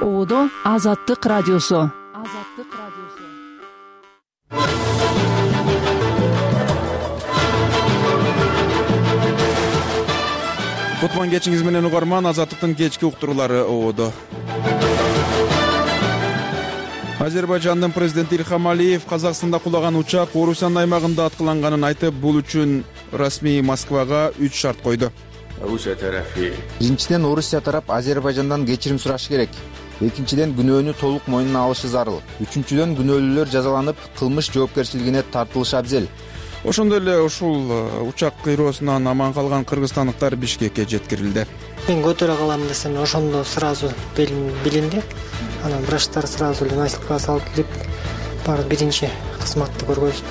Оодо Азаттык радиосу. Кутман кечиңиз менен угарман. Азаттыктын кечки уктуруулары Оодо. Азербайжандын президенти Илхам Алиев Казакстанда кулаган учак Орусиянын аймагында аткыланганын айтып, бул үчүн расмий Москвага 3 шарт койду. Биринчиден, Орусия тарап Азербайжандан кечирим сурашы керек. Экинчиден, күнөөнү толук мойнуна алышы зарыл. Үчүнчүдөн, күнөөлүүлөр жазаланып, кылмыш жоопкерчилигине тартылышы абзел. Ошондой эле ушул учак кыйроосунан аман калган кыргызстандыктар Бишкекке жеткирилди. Мен көтөрө калам десем, ошондо сразу билинди. Анан врачтар сразу эле носилкага салып кирип, барып биринчи кызматты көргөздү.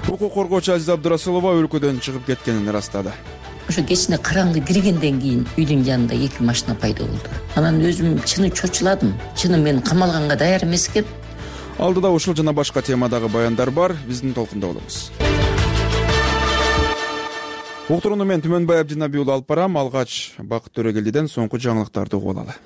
Укук коргоочу Азиза Абдурасулова өлкөдөн чыгып кеткенин ырастады. Ошо кечине караңгы киргенден кийин үйдүн жанында 2 машина пайда болду. Анан өзүм чыны чочуладым. Чыны мен камалганга даяр эмес экен. Алдыда ушул жана башка темадагы баяндар бар. Биздин толкунда болуңуз. Уктурууну мен Түмөнбай Абдинабий уулу алып барам. Алгач Бакыт Төрөгелдиден соңку жаңылыктарды угуп алалы.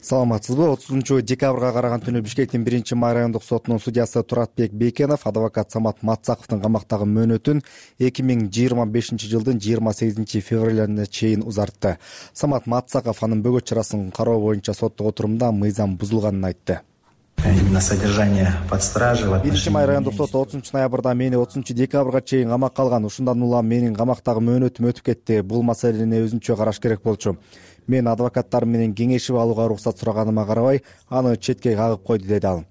Саламатсызбы? 30-декабрга караган түнү Бишкектин 1-май райондук сотунун судьясы Туратбек Бейкенов адвокат Самат Матсаковдун камактагы мөөнөтүн 2025 жылдын 28 февралына чейин узартты. Самат Матсаков анын бөгөт чарасын кароо боюнча соттук отурумда мыйзам бузулганын айтты. Именно содержание под стражей в отношении 1-май райондук соту 30-ноябрда мени 30-декабрга чейин камакка алган. Ушундан улам менин камактагы мөөнөтүм өтүп кетти. Бул маселени өзүнчө караш керек болчу. Мен адвокаттар менен кеңешип алууга уруксат сураганыма карабай, аны четке кагып койду, деди ал.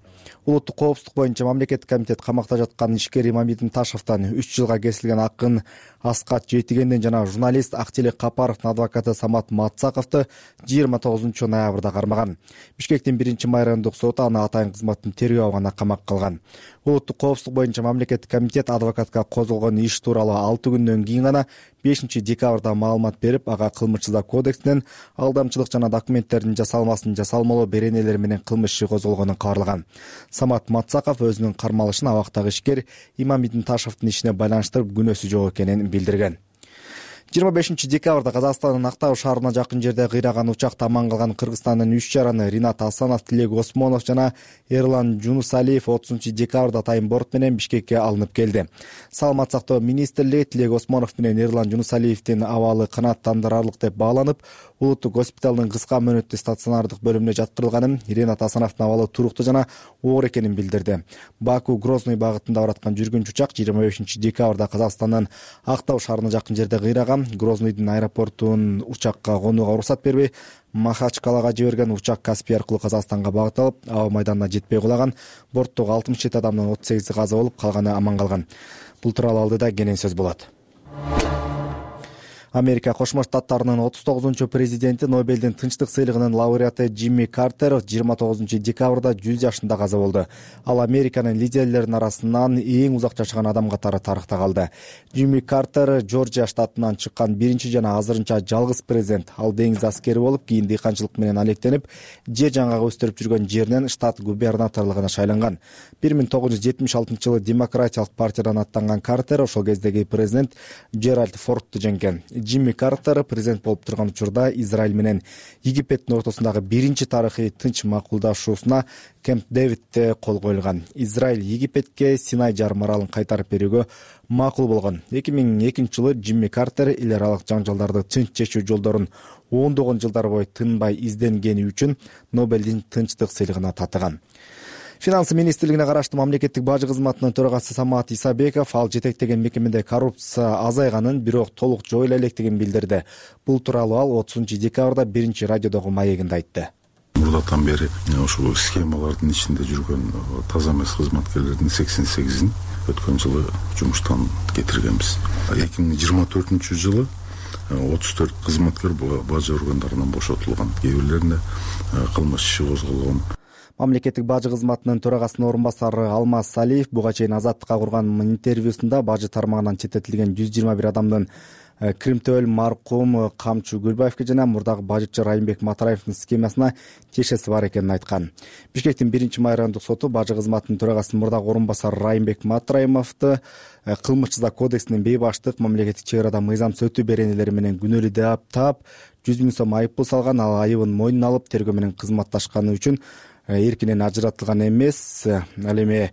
Улуттук коопсуздук боюнча мамлекеттик комитет камакта жаткан ишкер Имамидин Ташевден 3 жылга кесилген акын Аскат Жетигенден жана журналист Актилек Капаровдун адвокаты Самат Матсаковду 29 ноябрда кармаган. Бишкектин 1-май райондук соту аны атайын кызматтын тергөө абагына камакка алган. Улуттук коопсуздук боюнча мамлекеттик комитет адвокатка козголгон иш тууралуу 6 күндөн кийин гана 5-декабрда маалымат берип, ага кылмыш жаза кодексинен алдамчылык жана документтердин жасалмасын жасалмалоо беренелери менен кылмыш иши козголгонун кабарлаган. Самат Матсаков өзүнүн кармалышын абактагы ишкер Имамидин Ташевдин ишине байланыштырып күнөөсү жок экенин билдирген. 25-декабрда Казакстандын Актау шаарына жакын жерде кыйраган учакта аман калган Кыргызстандын 3 жараны Ринат Асанов, Тилек Осмонов жана Эрлан Жунусалиев 30-декабрда атайын борт менен Бишкекке алынып келди. Саламат сактоо министрлиги Тилек Осмонов менен Эрлан Жунусалиевдин абалы канааттандырарлык деп бааланып, улуттук госпиталдын кыска мөөнөттүү стационардык бөлүмүнө жаткырылганын, Ринат Асановдун абалы туруктуу жана оор экенин билдирди. Баку Грозный багытында бараткан жүргүнчү учак 25-декабрда Казакстандын Актау шаарына жакын жерде кыйраган. Грознойдун аэропортунун учакка конууга уруксат бербей, Махачкалага жиберген учак Каспий аркылуу Казакстанга багыт алып, аба майданына жетпей кулаган. Борттогу 67 адамдын 38 каза болуп, калганы аман калган. Бул тууралуу алдыда кенен сөз болот. Америка Кошмо Штаттарынын 39-чу президенти, Нобелдин тынчтык сыйлыгынын лауреаты Джимми Картер 29-декабрда 100 жашында каза болду. Ал Американын лидерлеринин арасынан эң узак жашаган адам катары тарыхта калды. Джимми Картер Жоржия штатынан чыккан биринчи жана азырынча жалгыз президент. Ал деңиз аскери болуп, кийин дыйканчылык менен алектенип, жер жаңгак өстүрүп жүргөн жеринен штат губернаторлугуна шайланган. 1976-жылы Демократиялык партиядан аттанган Картер ошол кездеги президент Джеральд Фордту жеңген. Джимми Картер президент болуп турган учурда Израиль менен Египеттин ортосундагы биринчи тарыхый тынч макулдашуусуна Кемп Дэвидде кол коюлган. Израиль Египетке Синай жарым аралын кайтарып берүүгө макул болгон. 2002-жылы Джимми Картер эл аралык жаңжалдарды тынч чечүү жолдорун ондогон жылдар бою тынбай изденгени үчүн Нобелдин тынчтык сыйлыгына татыган. Финанс министрлигине караштуу мамлекеттик бажы кызматынын төрагасы Самат Исабеков ал жетектеген мекемеде коррупция азайганын, бирок толук жоюла электигин билдирди. Бул тууралуу ал 30-декабрда 1-чи радиодогу маегинде айтты. Мурдатан бери ошол схемалардын ичинде жүргөн таза эмес кызматкерлердин 88-ин өткөн жылы жумуштан кетиргенбиз. 2024-жылы 34 кызматкер бажы органдарынан бошотулган. Кээ бирлерине кылмыш иши козголгон. Мамлекеттик бажы кызматынын төрагасынын орун басары Алмаз Салиев буга чейин Азаттыкка курган интервьюсунда бажы тармагынан четтетилген 121 адамдын Кримтөөл маркум Камчу Гүлбаевге жана мурдагы бажычы Райымбек Матараевдин схемасына тиешеси бар экенин айткан. Бишкектин 1-май райондук соту бажы кызматынын төрагасынын мурдагы орун басары Райымбек Матараевди кылмыш жаза кодексинин бейбаштык, мамлекеттик чек арада мыйзам сөтүү беренелери менен күнөөлүү деп таап 100 000 сом айыппул салган. Ал айыбын мойнуна алып, тергөө менен кызматташканы үчүн эркинен ажыратылган эмес. Ал эми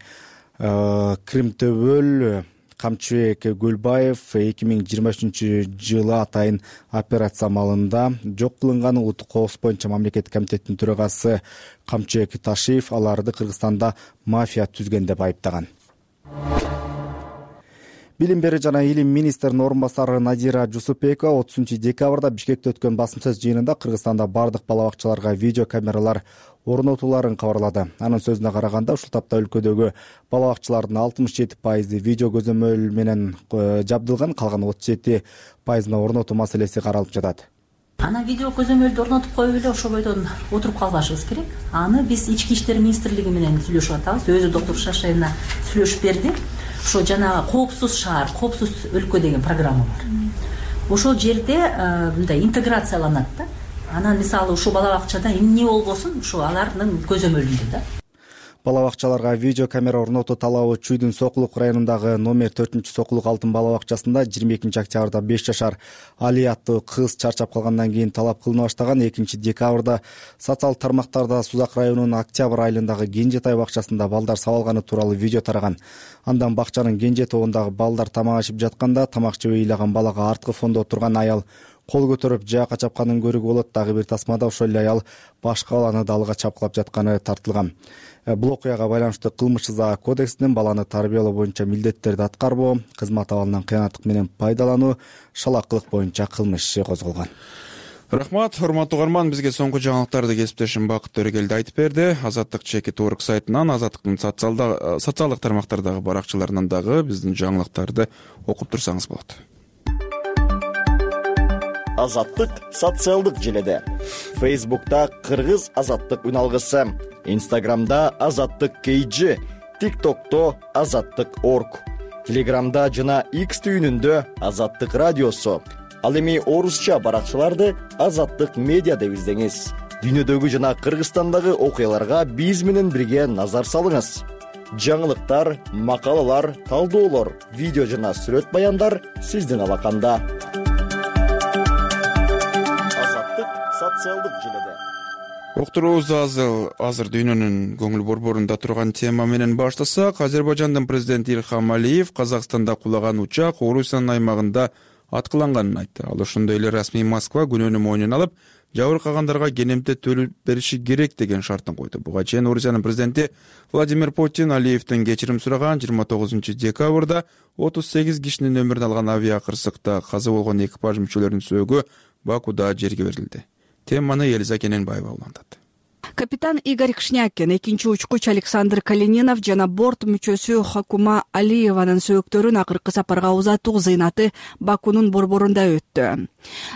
Кримтөбөл Камчыбек Гүлбаев 2023-жылы атайын операция амалында жок кылынган Улуттук коопсуздук боюнча мамлекеттик комитеттин төрагасы Камчыбек Ташиев аларды Кыргызстанда мафия түзгөн деп айыптаган. Билим берүү жана илим министринин орун басары Надира Жусупбекова 30-декабрда Бишкекте өткөн басым сөз жыйынында Кыргызстанда бардык бала бакчаларга видео камералар орнотууларын кабарлады. Анын сөзүнө караганда, ушул тапта өлкөдөгү бала бакчалардын 67% видео көзөмөл менен жабдылган, калган 37%-на орнотуу маселеси каралып жатат. Ана видео көзөмөлдү орнотуп коюп эле ошол бойдон отуруп калбашыбыз керек. Аны биз Ички иштер министрлиги менен сүйлөшүп атабыз. Өзү доктор Шашаевна сүйлөшүп берди. Ошо жанагы коопсуз шаар, коопсуз өлкө деген программа бар. Ошол жерде мындай интеграцияланат да. Анан мисалы ушул бала бакчада эмне болбосун, ушу алардын көзөмөлүндө да. Бала бакчаларга видео камера орнотуу талабы Чүйдүн Сокулук районундагы номер 4-Сокулук алтын бала бакчасында 22-октябрда 5 жашар Али аттуу кыз чарчап калгандан кийин талап кылына баштаган. 2-декабрда социалдык тармактарда Сузак районунун Октябрь айылындагы Кенжетай бакчасында балдар сабалганы тууралуу видео тараган. Андан бакчанын Кенже тобундагы балдар тамак ашып жатканда тамак жебей ыйлаган балага арткы фондо отурган аял кол көтөрүп жаакка чапканын көрүүгө болот. Дагы бир тасмада ошол эле аял башка баланы далга чапкылап жатканы тартылган. Бул окуяга байланыштуу кылмыш жаза кодексинин баланы тарбиялоо боюнча милдеттерди аткарбоо, кызмат абалынан кыянаттык менен пайдалануу, шалакылык боюнча кылмыш иши козголгон. Рахмат, урматтуу угарман, бизге соңку жаңылыктарды кесиптешим Бакыт Төрөгелди айтып берди. Азаттык чекит.org сайтынан, Азаттыктын социалдык тармактардагы баракчаларынан дагы биздин жаңылыктарды окуп турсаңыз болот. Азаттык социалдык желеде. Facebook'ta Кыргыз Азаттык үналгысы, Instagram'da Азаттык KG, TikTok'ta Азаттык.org, Telegram'da жана X түйүнүндө Азаттык радиосу. Ал эми орусча баракчаларды Азаттык медиа деп издеңиз. Дүйнөдөгү жана Кыргызстандагы окуяларга биз менен бирге назар салыңыз. Жаңылыктар, макалалар, талдоолор, видео жана сүрөт баяндар сиздин алаканда. Социалдык желеде. Уктуруубуз азыр дүйнөнүн көңүл борборунда турган тема менен баштасак, Азербайжандын президенти Ильхам Алиев Казакстанда кулаган учак Орусиянын аймагында аткыланганын айтты. Ал ошондой эле расмий Москва күнөөнү мойнуна алып, жабыркагандарга кенемте төлөп бериши керек деген шартын койду. Буга чейин Орусиянын президенти Владимир Путин Алиевден кечирим сураган. 29-декабрда 38 кишинин өмүрүн алган авиакырсыкта каза болгон экипаж мүчөлөрүнүн сөөгү Бакуда жерге берилди. Теманы Елиза Кененбаева улантат. Капитан Игорь Кшнякин, экинчи учкуч Александр Калининов жана борт мүчөсү Хакума Алиеванын сөөктөрүн акыркы сапарга узатуу зыйнаты Бакунун борборунда өттү.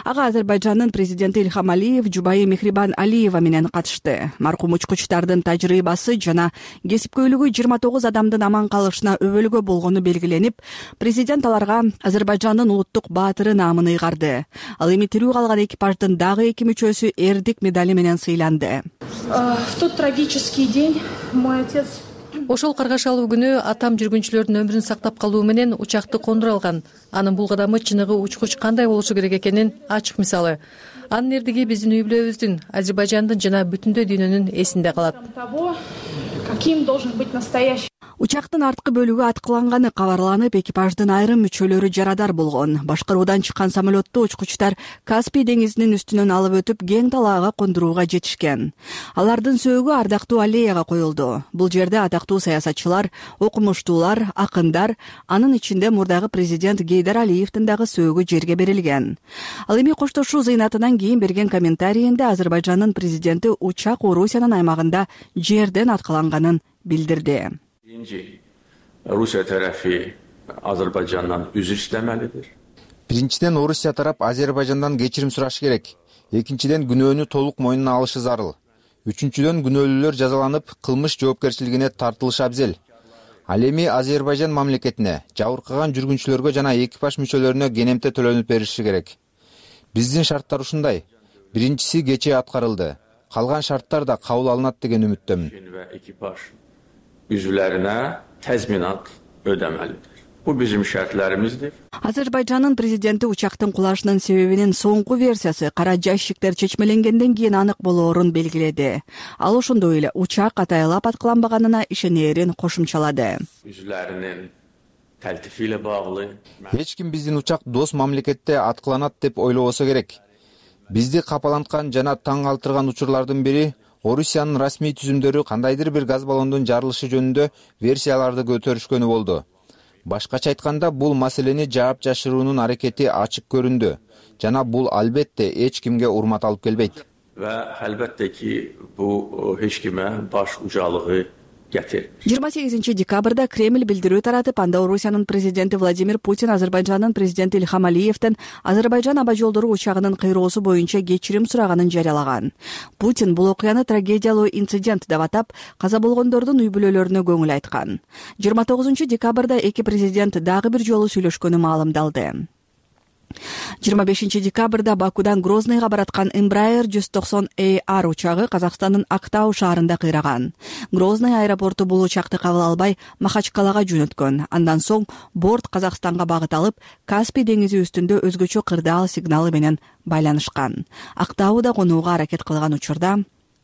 Ага Азербайжандын президенти Ильхам Алиев жубайы Мехрибан Алиева менен катышты. Маркум учкучтардын тажрыйбасы жана кесипкөйлүгү 29 адамдын аман калышына өбөлгө болгону белгиленип, президент аларга Азербайжандын улуттук баатыры наамын ыйгарды. Ал эми тирүү калган экипаждын дагы 2 мүчөсү эрдик медали менен сыйланды. В тот трагический день мой отец... Ошол каргашалуу күнү атам жүргүнчүлөрдүн өмүрүн сактап калуу менен учакты кондура алган. Анын бул кадамы чыныгы учкуч кандай болушу керек экенин ачык мисалы. Анын эрдиги биздин үй бүлөбүздүн, Азербайжандын жана бүтүндөй дүйнөнүн эсинде калат. Каким должен быть настоящий? Учактын арткы бөлүгү аткыланганы кабарланып, экипаждын айрым мүчөлөрү жарадар болгон. Башкаруудан чыккан самолетту учкучтар Каспий деңизинин үстүнөн алып өтүп, кең талаага кондурууга жетишкен. Алардын сөөгү ардактуу аллеяга коюлду. Бул жерде атактуу саясатчылар, окумуштуулар, акындар, анын ичинде мурдагы президент Гейдар Алиевдин дагы сөөгү жерге берилген. Ал эми коштошуу зыйнатынан кийин берген комментарийинде Азербайжандын президенти учак Орусиянын аймагында жерден аткыланганын билдирди. Rusiya tərəfi Azərbaycandan üzr istəməlidir. Биринчиден, Орусия тарап Азербайжандан кечирим сурашы керек. Экинчиден, күнөөнү толук мойнуна алышы зарыл. Үчүнчүдөн, күнөөлүүлөр жазаланып, кылмыш жоопкерчилигине тартылышы абзел. Ал эми Азербайжан мамлекетине, жабыркаган жүргүнчүлөргө жана экипаж мүчөлөрүнө кенемте төлөнүп бериши керек. Биздин шарттар ушундай. Биринчиси кечээ аткарылды. Калган шарттар да кабыл алынат деген үмүттөмүн. Üzvlərinə təzminat ödəməlidir. Bu bizim şərtlərimizdir. Азербайжандын президенти учактын кулашынын себебинин соңку версиясы кара жайшиктер чечмеленгенден кийин анык болоорун белгиледи. Ал ошондой эле учак атайлап аткыланбаганына ишенерин кошумчалады. Üzlərinin təltifi ilə bağlı. Эч ким биздин учак дос мамлекетте аткыланат деп ойлобосо керек. Бизди капаланткан жана таң калтырган учурлардын бири Орусиянын расмий түзүмдөрү кандайдыр бир газ баллондун жарылышы жөнүндө версияларды көтөрүшкөнү болду. Башкача айтканда, бул маселени жаап жашыруунун аракети ачык көрүндү жана бул албетте эч кимге урмат алып келбейт. Və əlbəttə ki, bu heç kimə baş ucalığı gətirmir. 28 декабрда Кремль билдирүү таратып, анда Орусиянын президенти Владимир Путин Азербайжандын президенти Ильхам Алиевден Азербайжан аба жолдору учагынын кыйроосу боюнча кечирим сураганын жарыялаган. Путин бул окуяны трагедиялуу инцидент деп атап, каза болгондордун үй бүлөлөрүнө көңүл айткан. 29 декабрда эки президент дагы бир жолу сүйлөшкөнү маалымдалды. 25 декабрда Бакудан Грозныйга бараткан Embraer 190AR учагы Казакстандын Актау шаарында кыйраган. Грозный аэропорту бул учакты кабыл албай Махачкалага жөнөткөн. Андан соң борт Казакстанга багыт алып, Каспий деңизи үстүндө өзгөчө кырдаал сигналы менен байланышкан. Актауда конууга аракет кылган учурда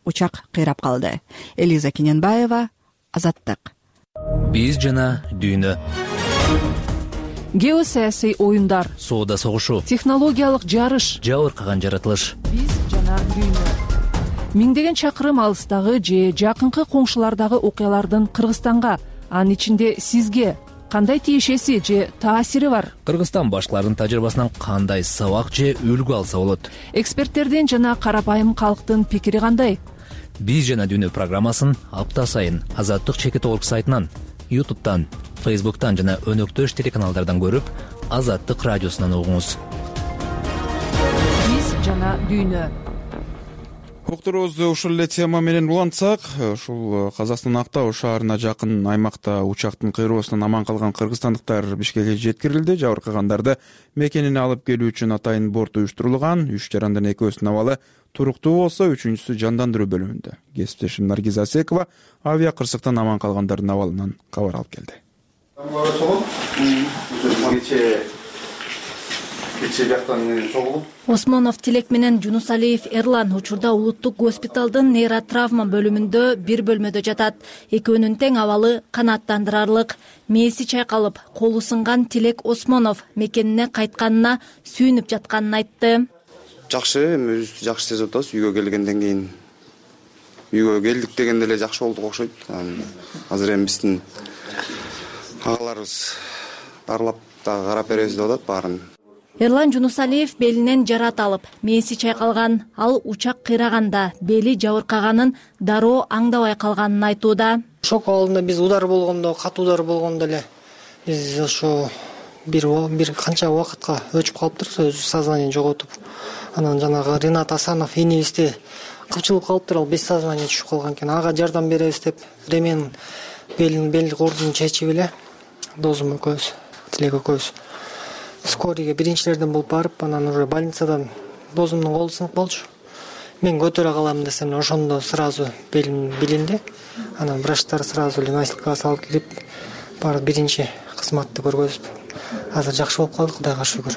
учак кыйрап калды. Элиза Кененбаева, Азаттык. Биз жана дүйнө. Геосаясий оюндар, соода согушу, технологиялык жарыш, жабыркаган жаратылыш. Биз жана дүйнө. Миңдеген чакырым алыстагы же жакынкы коңшулардагы окуялардын Кыргызстанга, анын ичинде сизге кандай тиешеси же таасири бар? Кыргызстан башкаларынын тажрыйбасынан кандай сабак же үлгү алса болот? Эксперттердин жана карапайым калктын пикири кандай? Биз жана дүйнө программасын апта сайын Азаттык чекит орг сайтынан, YouTube'дан, Facebook'tan жана өнөктөш телеканалдардан көрүп, Азаттык радиосунан угуңуз. Биз жана дүйнө. Уктуруубузду ушул эле тема менен улантсак, ушул Казакстандын Актау шаарына жакын аймакта учактын кыйроосунан аман калган кыргызстандыктар Бишкекке жеткирилди. Жабыркагандарды мекенине алып келүү үчүн атайын борт уюштурулган. 3 жарандын экөөсүнүн абалы туруктуу болсо, үчүнчүсү жандандыруу бөлүмүндө. Кесиптешим Наргиза Асекова авиа кырсыктан аман калгандардын абалынан кабар алып келди. Осмонов Тилек менен Жунусалиев Эрлан учурда улуттук госпиталдын нейротравма бөлүмүндө бир бөлмөдө жатат. Экөөнүн тең абалы канааттандырарлык. Мээси чайкалып, колу сынган Тилек Осмонов мекенине кайтканына сүйүнүп жатканын айтты. Жакшы, өзүбүздү жакшы сезип атабыз. Үйгө келгенден кийин үйгө келдик дегенде эле жакшы болдук окшойт. Азыр эми биздин агаларыбыз дарылап да карап беребиз деп атат баарын. Эрлан Жунусалиев белинен жарат алып, мээси чайкалган. Ал учак кыйраганда бели жабыркаганын дароо аңдабай калганын айтууда. Шок алдында биз удар болгондо, катуу удар болгондо эле биз ошо бир канча убакытка өчүп калыптырбыз, өз сознание жоготуп. Анан жанагы Ринат Асанов энебизде кылчылып калыптыр, ал без сознания түшүп калган экен. Ага жардам беребиз деп ремен бел кордун чечип эле досум экөөбүз, Тилек экөөбүз скорийге биринчилерден болуп барып, анан уже больницадан досумдун колу сынып болчу. Мен көтөрө калам десем, ошондо сразу белим билинди. Анан врачтар сразу эле носилкага салып кирип, барып биринчи кызматты көргөзүп, азыр жакшы болуп калдык, Кудайга шүгүр.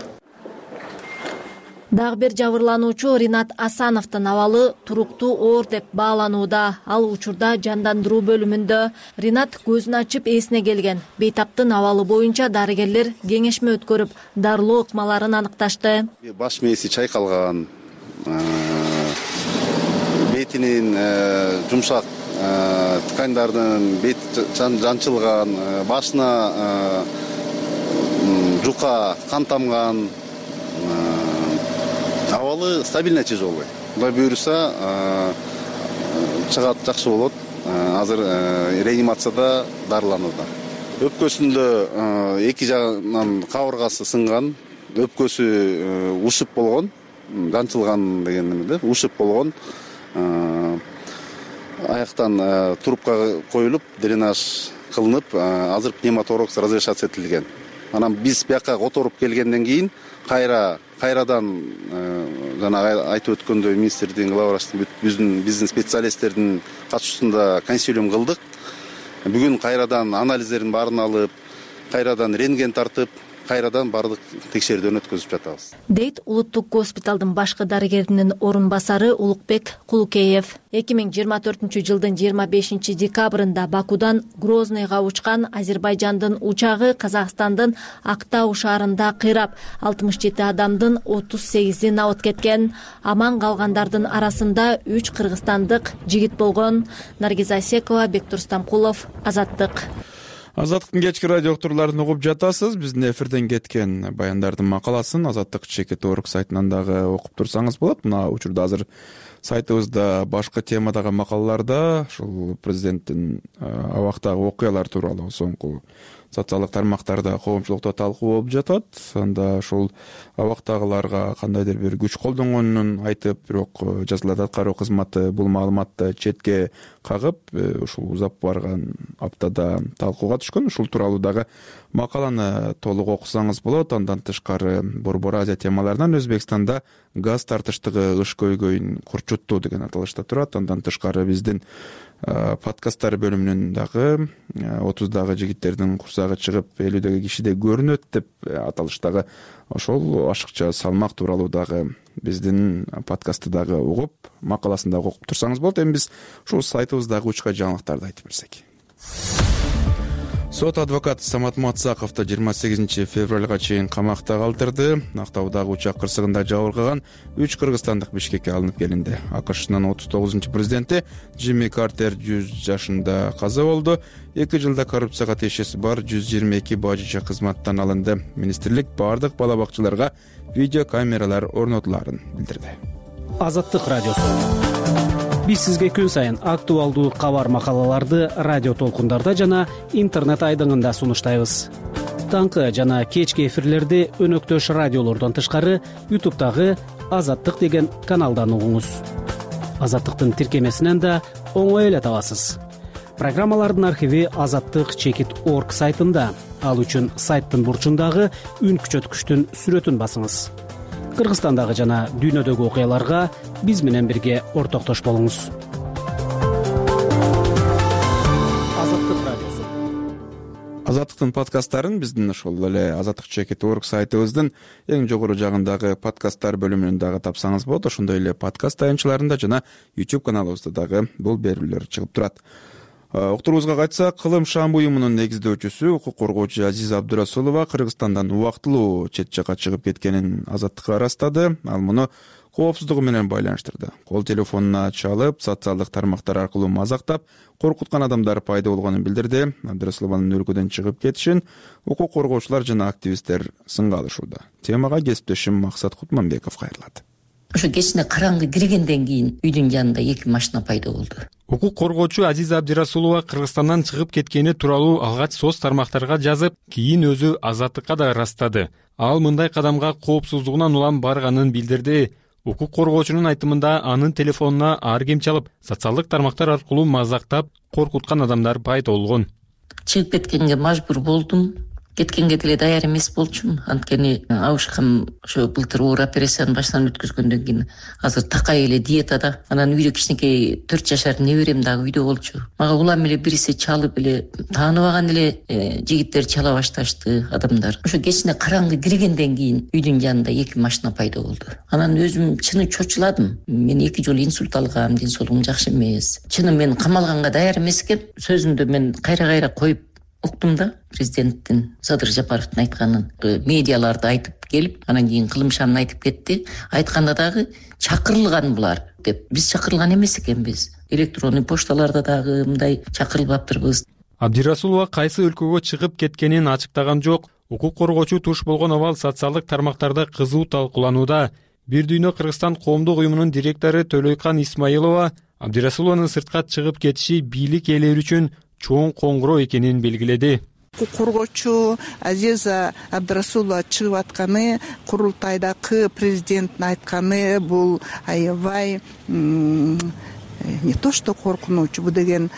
Дагы бир жабырлануучу Ринат Асановдун абалы туруктуу оор деп бааланууда. Ал учурда жандандыруу бөлүмүндө. Ринат көзүн ачып эсине келген. Бейтаптын абалы боюнча дарыгерлер кеңешме өткөрүп, дарылоо ыкмаларын аныкташты. Баш мээси чайкалган, бетинин жумшак ткандардын бет жанчылган, башына жука кан тамган, абалы стабильный чыжы болбойт. Кудай буйруса чыгат, жакшы болот. Азыр реанимацияда дарыланууда. Өпкөсүндө эки жагынан кабыргасы сынган, өпкөсү ушуп болгон, жанчылган деген эмеде, ушуп болгон. Аяктан трубка коюлуп, дренаж кылынып, азыр пневмоторакс разрешация этилген. Анан биз бияка которуп келгенден кийин кайрадан жана айтып өткөндөй министрдин, глава врачтын, биздин специалисттердин катышуусунда консилиум кылдык. Бүгүн кайрадан анализдерин баарын алып, кайрадан рентген тартып, кайрадан баардык текшерүүдөн өткөзүп жатабыз, дейт улуттук госпиталдын башкы дарыгеринин орун басары Улукбек Кулукеев. 2024 жылдын 25 декабрында Бакудан Грозныйга учкан Азербайжандын учагы Казакстандын Актау шаарында кыйрап, 67 адамдын 38и набыт кеткен. Аман калгандардын арасында 3 кыргызстандык жигит болгон. Наргиза Асекова, Бектур Стамкулов, Азаттык. Азаттыктын кечки радио уктурууларын угуп жатасыз. Биздин эфирден кеткен баяндардын макаласын Азаттык ЧКТ.орг сайтынан дагы окуп турсаңыз болот. Мына учурда азыр сайтыбызда башка темадагы макалаларда ушул президенттин абактагы окуялар тууралуу соңку социалдык тармактарда коомчулукта талкуу болуп жатат. Анда ушул абактагыларга кандайдыр бир күч колдонгонун айтып, бирок жазалат аткаруу кызматы бул маалыматты четке кагып, ушул узап барган аптада талкууга түшкөн. Ушул тууралуу дагы макаланы толук окусаңыз болот. Андан тышкары Борбор Азия темаларынан Өзбекстанда газ тартыштыгы ыш көйгөйүн курчуттуу деген аталышта турат. Андан тышкары биздин подкасттар бөлүмүнүн дагы 30дагы жигиттердин курсагы чыгып 50дөгү кишиде көрүнөт деп аталыштагы ошол ашыкча салмак тууралуу дагы биздин подкастты дагы угуп, макаласын дагы окуп турсаңыз болот. Эми биз ушул сайтыбыздагы учка жаңылыктарды айтып берсек. Сот адвокаты Самат Мацаковду 28 февралга чейин камакта калтырды. Актаудагы учак кырсыгында жабыркаган 3 кыргызстандык Бишкекке алынып келинди. АКШнын 39-президенти Джимми Картер 100 жашында каза болду. 2 жылда коррупцияга тиешеси бар 122 бажыча кызматтан алынды. Министрлик бардык бала бакчаларга видео камералар орнотуларын билдирди. Азаттык радиосу. Биз сизге күн сайын актуалдуу кабар макалаларды радио толкундарда жана интернет айдыңында сунуштайбыз. Таңкы жана кечки эфирлерди өнөктөш радиолордон тышкары YouTube'дагы Азаттык деген каналдан угуңуз. Азаттыктын тиркемесинен да оңой эле табасыз. Программалардын архиви Азаттык ЧКТ.орг сайтында. Ал үчүн сайттын бурчундагы үн күчөткүчтүн сүрөтүн басыңыз. Кыргызстандагы жана дүйнөдөгү окуяларга биз менен бирге ортоктош болуңуз. Азаттык радиосу. Азаттыктын подкасттарын биздин ошол эле Азаттык ЧКТ.орг сайтыбыздын эң жогору жагындагы подкасттар бөлүмүнөн дагы тапсаңыз болот. Ошондой эле подкаст таянчыларында жана YouTube каналыбызда дагы бул берүүлөр чыгып турат. Уктуруубузга кайтсак, Кылым Шамбы уюмунун негиздөөчүсү, укук коргоочу Азиз Абдырасулова Кыргызстандан убактылуу чет жакка чыгып кеткенин Азаттыкка ырастады. Ал муну коопсуздугу менен байланыштырды. Кол телефонуна чалып, социалдык тармактар аркылуу мазактап, коркуткан адамдар пайда болгонун билдирди. Абдырасулованын өлкөдөн чыгып кетишин укук коргоочулар жана активисттер сынга алышууда. Темага кесиптешим Максат Кутманбеков кайрылат. Ошо кечине караңгы киргенден кийин үйдүн жанында 2 машина пайда болду. Укук коргоочу Азиза Абдырасулова Кыргызстандан чыгып кеткени тууралуу алгач соц тармактарга жазып, кийин өзү Азаттыкка да ырастады. Ал мындай кадамга коопсуздугунан улам барганын билдирди. Укук коргоочунун айтымында анын телефонуна ар ким чалып, социалдык тармактар аркылуу мазактап, коркуткан адамдар пайда болгон. Чыгып кеткенге мажбур болдум. Кеткенге деле даяр эмес болчумун. Анткени абышкам ошо былтыр оор операцияны баштан өткөзгөндөн кийин азыр такай эле диетада. Анан үйдө кичинекей 4 жашар неберем дагы үйдө болчу. Мага улам эле бириси чалып эле тааныбаган эле жигиттер чала башташты, адамдар. Ошо кечине караңгы киргенден кийин үйдүн жанында 2 машина пайда болду. Анан өзүм чыны чочуладым. Мен 2 жолу инсульт алгам, ден соолугум жакшы эмес. Чыны мен камалганга даяр эмес экен. Сөзүндө мен кайра коюп уктум да, президенттин Садыр Жапаровдун айтканын. Медиаларды айтып келип, анан кийин Кылым Шамын айтып кетти. Айтканда дагы чакырылган булар деп. Биз чакырылган эмес экенбиз. Электронный пошталарда дагы мындай чакырылбаптырбыз. Абдырасулова кайсы өлкөгө чыгып кеткенин ачыктаган жок. Укук коргоочу туш болгон абал социалдык тармактарда кызуу талкууланууда. Бир дүйнө Кыргызстан коомдук уюмунун директору Төлөйкан Исмаилова Абдырасулованын сыртка чыгып кетиши бийлик ээлери үчүн чоң коңгуроо экенин белгиледи. Укук коргоочу Азиза Абдырасулова чыгып атканы, курултайдагы президенттин айтканы бул аябай не то что коркунуч, бул деген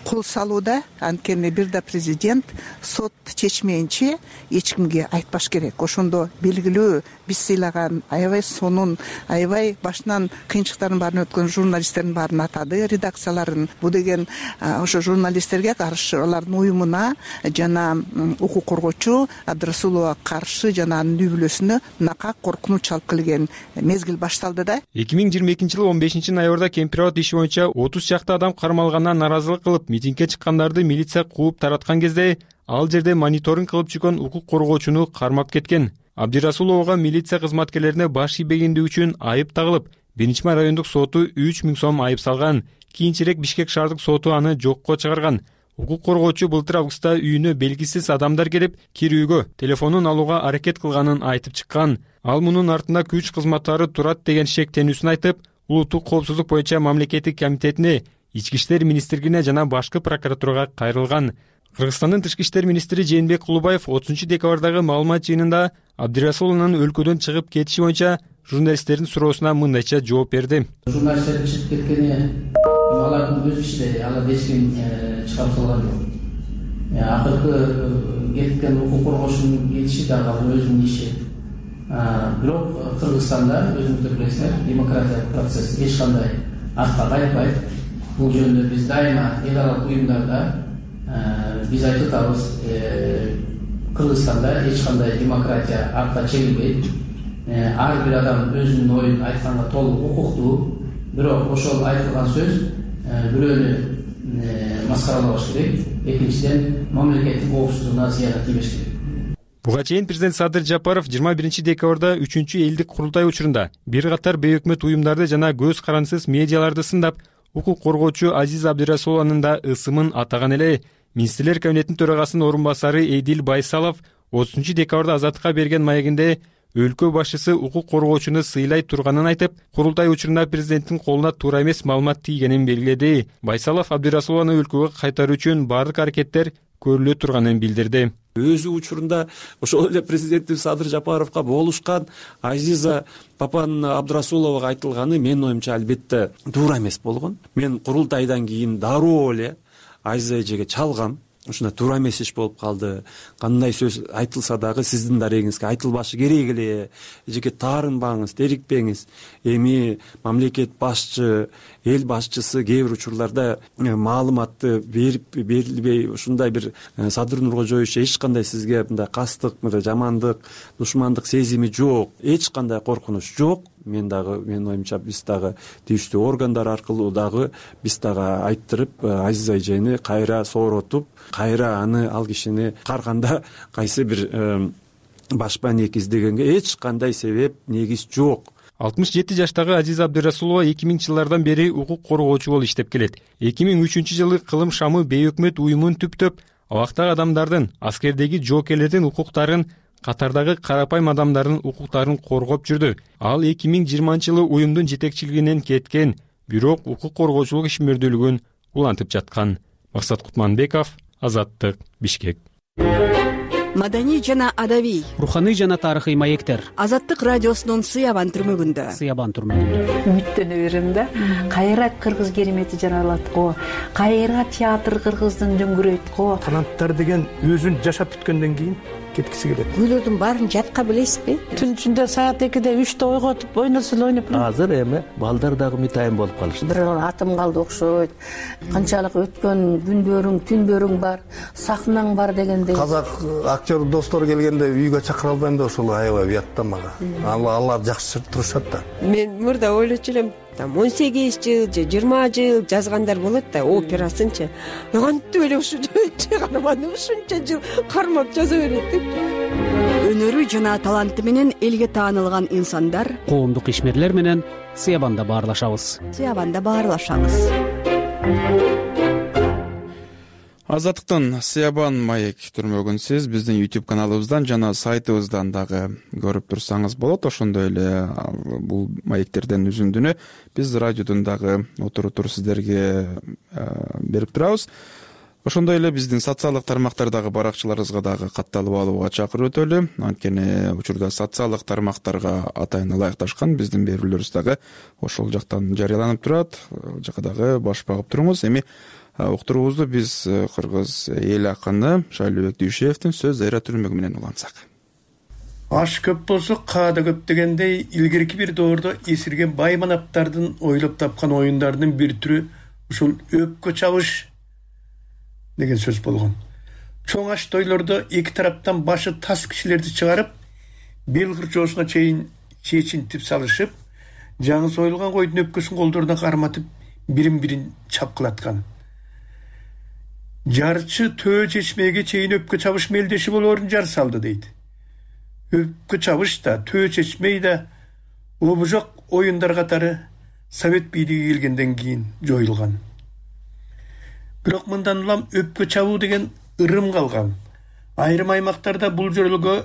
кол салууда. Анткени бир да президент сот чечмейинче эч кимге айтпаш керек. Ошондо белгилүү биз сыйлаган аябай сонун, аябай башынан кыйынчылыктардын баарын өткөн журналисттердин баарын атады, редакцияларын. Бул деген ошо журналисттерге каршы, алардын уюмуна жана укук коргоочу Абдрасулова каршы жана анын үй бүлөсүнө накак коркунуч алып келген мезгил башталды да. 2022-жылы 15-ноябрда Кемпирабад иши боюнча 30 чакты адам кармалганына наразылык кылып митингге чыккандарды милиция кууп тараткан кезде ал жерде мониторинг кылып жүргөн укук коргоочуну кармап кеткен. Абдирасуловага милиция кызматкерлерине баш ийбегендиги үчүн айып тагылып, 1-май райондук соту 3000 сом айып салган. Кийинчерээк Бишкек шаардык соту аны жокко чыгарган. Укук коргоочу былтыр августта үйүнө белгисиз адамдар келип, кирүүгө телефонун алууга аракет кылганын айтып чыккан. Ал мунун артында күч кызматтары турат деген шектенүүсүн айтып, улуттук коопсуздук боюнча мамлекеттик комитетине, Ички иштер министрлигине жана башкы прокуратурага кайрылган. Кыргызстандын тышкы иштер министри Жээнбек Кулубаев 30-декабрдагы маалымат жыйынында Абдирасуловдун өлкөдөн чыгып кетиши боюнча журналисттердин суроосуна мындайча жооп берди. Журналисттердин чыгып кеткени алардын өз иши, алар эч ким чыгарып салган жок. Акыркы кеткен укук коргоочунун кетиши дагы өзүнүн иши. Бирок Кыргызстанда өзүңүздөр билесиздер, демократиялык процесс эч кандай артка кайтпайт. Бул жөнүндө биз дайыма эл аралык уюмдарда биз айтып атабыз, Кыргызстанда эч кандай демократия артка чегилбейт. Ар бир адам өзүнүн оюн айтканга толук укуктуу. Бирок ошол айтылган сөз бирөөнү маскаралабаш керек. Экинчиден, мамлекеттик коопсуздугуна зыяны тийбеш керек. Буга чейин президент Садыр Жапаров 21-декабрда 3-элдик курултай учурунда бир катар бейөкмөт уюмдарды жана көз карансыз медиаларды сындап, укук коргоочу Азиза Абдирасулованын да ысымын атаган эле. Министрлер кабинетинин төрагасынын орун басары Эдил Байсалов 30-декабрда Азаттыкка берген маегинде өлкө башчысы укук коргоочуну сыйлай турганын айтып, курултай учурунда президенттин колуна туура эмес маалымат тийгенин белгиледи. Байсалов Абдирасулованы өлкөгө кайтаруу үчүн бардык аракеттер көрүлө турганын билдирди. Өзү учурунда ошол эле президентибиз Садыр Жапаровго болушкан Азиза папанын Абдирасуловага айтылганы менин оюмча албетте туура эмес болгон. Мен курултайдан кийин дароо эле Азиза эжеге чалгам. Ушундай туура эмес иш болуп калды. Кандай сөз айтылса дагы сиздин дарегиңизге айтылбашы керек эле. Эжеге таарынбаңыз, дерикпеңиз. Эми мамлекет башчы, эл башчысы кээ бир учурларда маалыматты берилбей, ушундай бир Садыр Нуркожоевич эч кандай сизге мындай кастык, жамандык, душмандык сезими жок. Эч кандай коркунуч жок. Менин оюмча биз дагы тийиштүү органдар аркылуу дагы биз дагы айттырып, Азиза эжени кайра сооротуп, кайра ал кишини карганда кайсы бир башпа ник издегенге эч кандай себеп, негиз жок. 67 жаштагы Азиза Абдирасулова 2000-жылдардан бери укук коргоочу болуп иштеп келет. 2003-жылы Кылым шамы бейөкмөт уюмун түптөп, абактагы адамдардын, аскердеги жоокерлердин укуктарын, катардагы карапайым адамдардын укуктарын коргоп жүрдү. Ал 2020-жылы уюмдун жетекчилигинен кеткен, бирок укук коргоочулук ишмердүүлүгүн улантып жаткан. Максат Кутманбеков, Азаттык, Бишкек. Маданий жана адабий, руханий жана тарыхый маектер. Азаттык радиосунун Сыябан түрмөгүндө. Үмүттөнө берем да. Кайра кыргыз керемети жаралат го. Кайра театр кыргыздын дөңгүрөйт го. Таланттар деген өзүн жашап бүткөндөн кийин кеткиси келет. Күйлөрдүн баарын жатка билесизби? Түн ичинде саат 2-де 3-те ойготуп, ойносо эле ойноп. Азыр эми балдар дагы мытайын болуп калышты. Бир атым калды окшойт. Канчалык өткөн күндөрүң, түндөрүң бар, сахнаң бар дегендей. Казак актер достор келгенде үйгө чакыра албайм да, ошол аябай уят да мага. Алар жакшы турушат да. Мен мурда ойлочу элем, 18 жыл же 20 жыл жазгандар болот да, операсынчы. Кантип эле ушунча карманы ушунча жыл кармап жаза берет деп. Өнөрү жана таланты менен элге таанылган инсандар, коомдук ишмерлер менен Сыябанда баарлашабыз. Азаттыктын Сыябан маек түрмөгүн сиз биздин YouTube каналыбыздан жана сайтыбыздан дагы көрүп турсаңыз болот. Ошондой эле бул маектерден үзүндүнү биз радиодон дагы отуруп туруп сиздерге берип турабыз. Ошондой эле биздин социалдык тармактардагы баракчаларыбызга дагы катталып алууга чакырып өтөлү. Анткени учурда социалдык тармактарга атайын ылайыкташкан биздин берүүлөрүбүз дагы ошол жактан жарыяланып турат. Ал жака дагы баш багып туруңуз. Эми уктуруубузду биз кыргыз эл акыны Шайлообек Дүйшеевдин сөз дайра түрмөгү менен улантсак. Аш көп болсо каада көп дегендей, илгерки бир доордо эсирген бай манаптардын ойлоп тапкан оюндарынын бир түрү ушул өпкө чабыш деген сөз болгон. Чоң аш тойлордо эки тараптан башы тас кишилерди чыгарып, бел кырчоосуна чейин чечинтип салышып, жаңы союлган койдун өпкөсүн колдоруна карматып, бирин-бирин чапкылаткан. Жарчы төө чечмеге чейин өпкө чабыш мелдеши болоорун жар салды дейт. Өпкө чабыш да, төө чечмей да обужок оюндар катары Совет бийлиги келгенден кийин жоюлган. Бирок мындан улам өпкө чабуу деген ырым калган. Айрым аймактарда бул жөрөлгө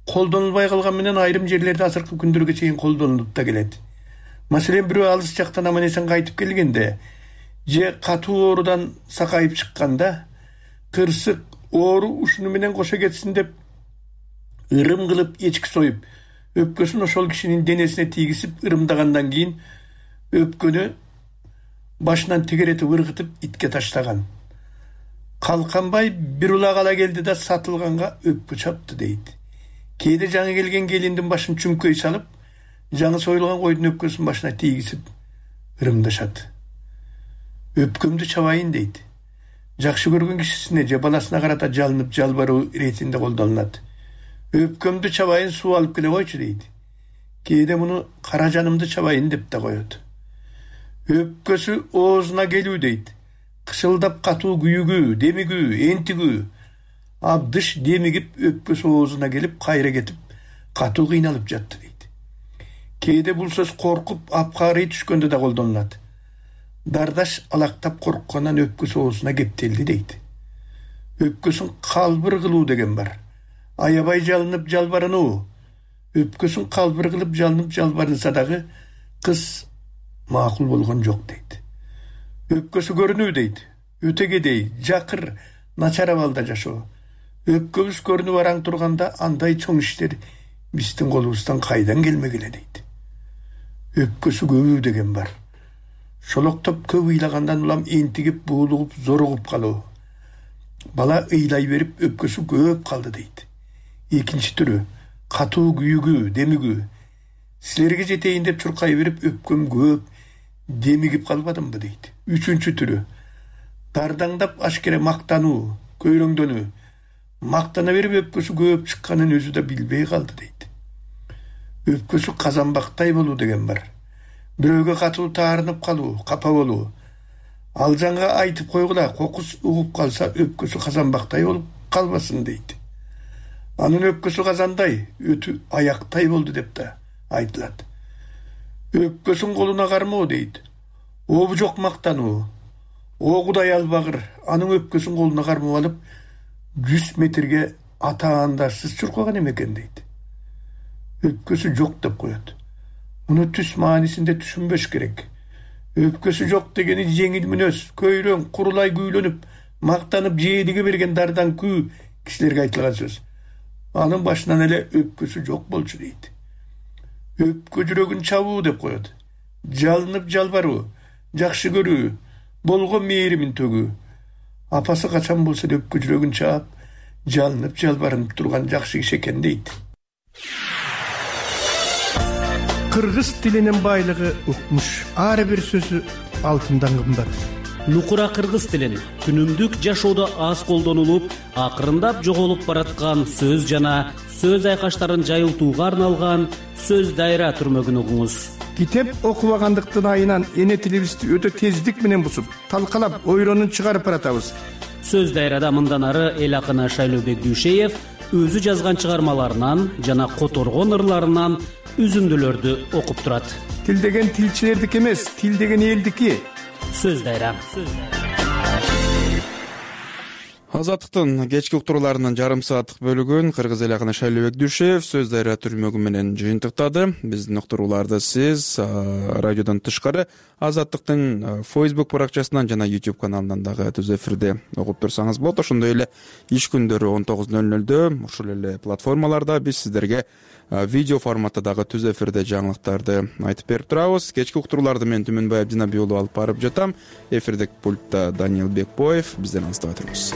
колдонулбай калган менен айрым жерлерде азыркы күндөргө чейин колдонулуп да келет. Маселен, бирөө алыс жактан аман-эсен кайтып келгенде же катуу оорудан сакайып чыкканда кырсык оору ушуну менен кошо кетсин деп ырым кылып эчки союп, өпкөсүн ошол кишинин денесине тийгизип ырымдагандан кийин өпкөнү башынан тегеретип ыргытып итке таштаган. Калканбай бир улак ала келди да сатылганга өпкө чапты дейт. Кээде жаңы келген келиндин башын чүмкөй салып, жаңы союлган койдун өпкөсүн башына тийгизип ырымдашат. Өпкөмдү чабайын дейт. Жакшы көргөн кишисине же баласына карата жалынып жалбаруу иретинде колдонулат. Өпкөмдү чабайын, суу алып келе койчу дейт. Кээде муну кара жанымды чабайын деп да коет. Өпкөсү оозуна келүү дейт. Кышылдап катуу күйүгүү, демигүү, энтигүү, абдыш демигип өпкөсү оозуна келип, кайра кетип, катуу кыйналып жатты дейт. Кээде бул сөз коркуп, апкаарый түшкөндө да колдонулат. Дардаш алактап корккондан өпкөсү оозуна кептелди дейт. Өпкөсүн калбыр кылуу деген бар. Аябай жалынып жалбарынуу. Өпкөсүн калбыр кылып жалынып жалбарынса дагы кыз макул болгон жок дейт. Өпкөсү көрүнүү дейт. Өтөгедей, жакыр, начар абалда жашоо. Өпкөбүз көрүнүп араң турганда андай чоң иштер биздин колубуздан кайдан келмегиле дейт. Өпкөсү көбүү деген бар. Шолоктоп көп ыйлагандан улам энтигип, буулугуп, зоругуп калуу. Бала ыйлай берип өпкөсү көп калды дейт. Экинчи түрү катуу күйүгүү, демигүү. Силерге жетейин деп чуркай берип өпкөм көп, демигип калбадымбы дейт. Үчүнчү түрү дардаңдап ашкере мактануу, көйрөңдөнүү. Мактана берип өпкөсү көп чыкканын өзү да билбей калды дейт. Өпкөсү казанбактай болуу деген бар. Бирөөгө катуу таарынып калуу, капа болуу. Ал жанга айтып койгула, кокус угуп калса өпкөсү казанбактай болуп калбасын дейт. Анын өпкөсү казандай, өтү аяктай болду деп да айтылат. Өпкөсүн колуна кармоо дейт. Обужок мактануу. О Кудай албагыр, анын өпкөсүн колуна кармап алып 100 метрге атаандарсыз чуркаган эмекен дейт. Өпкөсү жок деп коет. Муну түс маанисинде түшүнбөш керек. Өпкөсү жок дегени жеңил мүнөз, көйрөң, курулай күүлөнүп, мактанып жээдиге берген дардан күү кишилерге айтылган сөз. Анын башынан эле өпкөсү жок болчу дейт. Өпкө жүрөгүн чабуу деп коет. Жалынып жалбаруу, жакшы көрүү, болгон мээримин төгүү. Апасы качан болсо да өпкө жүрөгүн чаап, жалынып жалбарынып турган жакшы киши экен дейт. Кыргыз тилинин байлыгы укмуш. Ар бир сөзү алтындан кымбат. Нукура кыргыз тилин күнүмдүк жашоодо аз колдонулуп, акырындап жоголуп бараткан сөз жана сөз айкаштарын жайылтууга арналган сөз дайра түрмөгүн угуңуз. Китеп окубагандыктын айынан эне тилибизди өтө тездик менен бусуп, талкалап, ойронун чыгарып баратабыз. Сөз дайрада мындан ары эл акыны Шайлообек Дүйшеев өзү жазган чыгармаларынан жана которгон ырларынан үзүндүлөрдү окуп турат. Тил деген тилчилердики эмес, тил деген элдики. Сөз дайра. Азаттыктын кечки уктурууларынын жарым сааттык бөлүгүн кыргыз эли акыны Шайлообек Дүшев сөз дайра түрмөгү менен жыйынтыктады. Биздин уктурууларды сиз радиодон тышкары Азаттыктын Facebook баракчасынан жана YouTube каналынан дагы түз эфирде угуп турсаңыз болот. Ошондой эле иш күндөрү 19:00 ушул эле платформаларда биз сиздерге видео форматта дагы түз эфирде жаңылыктарды айтып берип турабыз. Кечки уктурууларды мен Түмөнбай Абдинабий уулу алып барып жатам. Эфирдик пультта Даниил Бекбоев. Бизден алыстабай туруңуз.